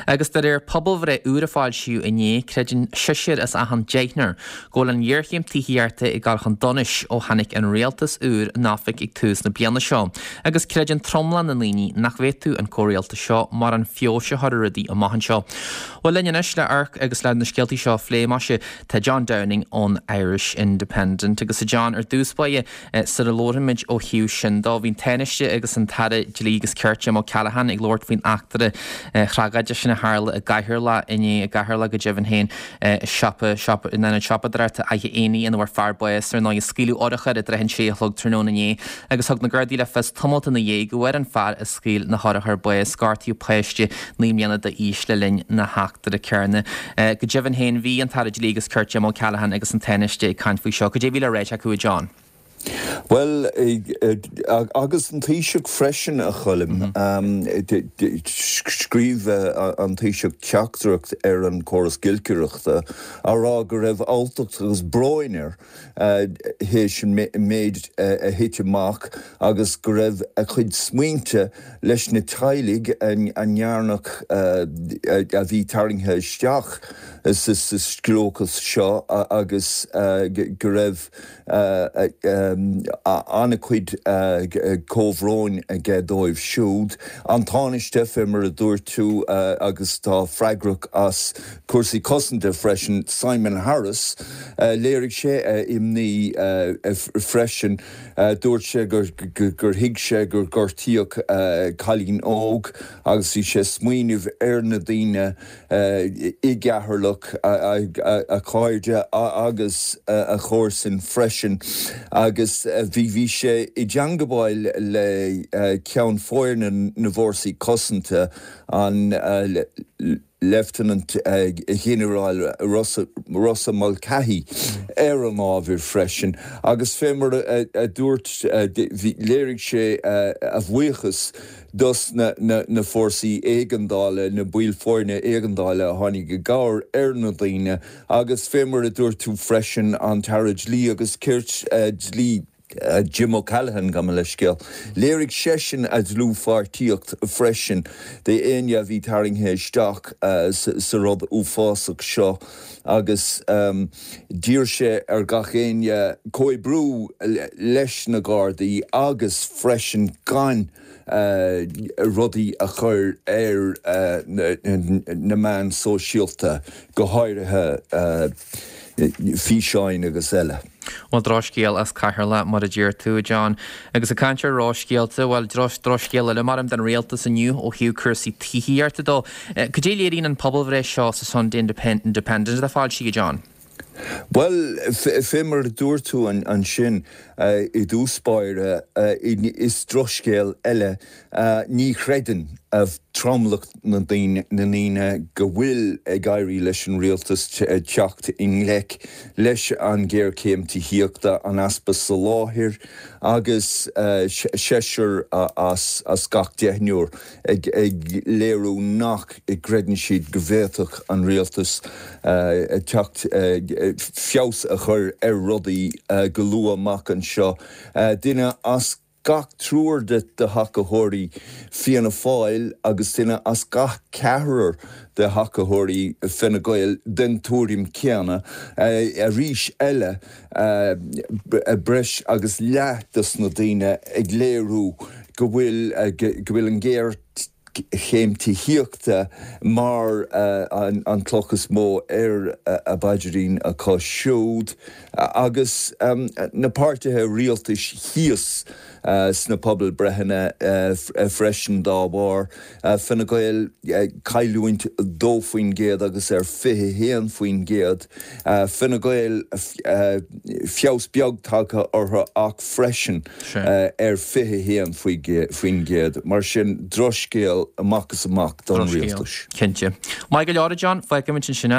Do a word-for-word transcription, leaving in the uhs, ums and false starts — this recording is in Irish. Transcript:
Agus de réir pobalbhreith úr a foilsíodh inné, creideann seisear as achan deichniúr go bhfuil an ghéarchéim tithíochta ag dul chun donais ó tháinig an rialtas úr in oifig ag tús na bliana seo, agus creideann tromlach na ndaoine nach bhféadfadh an comhrialtas seo mórán feabhais a chur ar rudaí amach anseo. Bhuel linn anois le amharc agus le na scéaltaí seo a phlé maise tá John Downing ón Irish Independent agus a John ar dtús báire sara labhraímid ó thaobh sin dó bhí an Tánaiste agus an tAire Dlí agus Cirt Jim O'Callaghan ag labhairt faoin eachtra thragóideach sin a tharla i gCeatharlach inné i gCeatharlach go deimhin féin siopa siopa in ionad siopadóireachta Fhaiche Éanaigh ina bhfuair fear bás ar ndóigh scaoileadh urchar i dtrátha an sé a chlog tráthnóna inné agus thug na Gardaí le fios tamalt ina dhiaidh go bhfuair an fear a scaoil na hurchair bás gortaíodh páiste naoi mbliana d'aois le linn na heachtra céanna. Go deimhin féin bhí an tAire Dlí agus Cirt Jim O'Callaghan agus an Tánaiste ag caint faoi seo, cad é a bhí le ráit acu a John. Well agus an Taoiseach freisin a Choilm scríobh an Taoiseach teachtaireacht ar an córas giolcaireachta á rá go raibh alltacht agus brón air théis an méid a thit amach agus go raibh a chuid smaointe leis na teaghlaigh a ndearnach a bhí tarraingthe isteach sa scliúchas seo agus go raibh an-chuid comhbhróin aige dóibh siúd. An Tánaiste fé mar a dúirt tú agus tá freagrach as cúrsaí cosanta freisin Simon Harris, léirigh sé imní freisin dúirt sé gur thuig sé gur gortaíodh cailín óg agus bhí sé smaoineamh ar na daoine i gCeatharlach a chairde agus a chomharsain freisin agus bhí bhí sé i dteagmháil le ceann foirne na bhFórsaí Cosanta an Leifteanant Ghinearál Rossa Mulcahy ar an ábhar freisin agus fé mar a dúirt léirigh sé a bhuíochas dos na na fórsaí éigeandála na baill foirne éigeandála a tháinig i gcabhair ar na daoine agus fé mar a dúirt tú freisin an tAire Dlí agus Cirt dlí Jim O'Callaghan gabh mo leithscéal. Léirigh seisean a dlúthpháirtíocht freisin d'éinne a bhí tarraingthe isteach sa rud uafásach seo agus d'iarr sé ar gach éinne comhoibriú leis na Gardaí agus freisin gan rudaí a chur ar na meáin sóisialta go háirithe físeáin agus eile. Bhuel drochscéal as Ceatharlach mar a deir tú John. Agus ag caint ar dhrochscéalta, bhuel drochscéal eile mar den rialtas inniu ó thaobh cúrsaí tithíochta dó. Cad é a léiríonn an pobalbhreith seo sa Sunday Independent a foilsíodh John. Well fé mar a dúirt tú ansin i dtús báire is drochscéal eile ní chreideann tromlach na ndaoine go bhfuil ag éirí leis an rialtas teacht i ngleic leis an géarchéim tithíochta an easpa soláthair agus seisear as gach deichniúr ag léiriú nach gcreideann siad go bhféadfadh an rialtas teacht feabhas a chur ar rudaí go luath amach anseo. Duine as gach triúr de thacaitheoirí Fianna Fáil agus duine as gach ceathrar de thacaitheoirí Fine Gael den tuairim céanna arís eile breis agus leath dos na daoine ag léiriú go bhfuil go bhfuil an géarchéim tithíochta mar an cloch is mó ar a bpaidrín acu siúd agus na páirtithe rialtais thíos sna pobalbhreitheanna freisin dá bharr Fine Gael cailliúint dó faoin gcéad agus ar fiche haon faoin gcéad Fine Gael feabhas beag tagtha orthu ach freisin ar fiche haon faoin gcéad mar sin drochscéal amach is amach don rialtas. Cinnte. Maith go leor John, fágfaimid ansin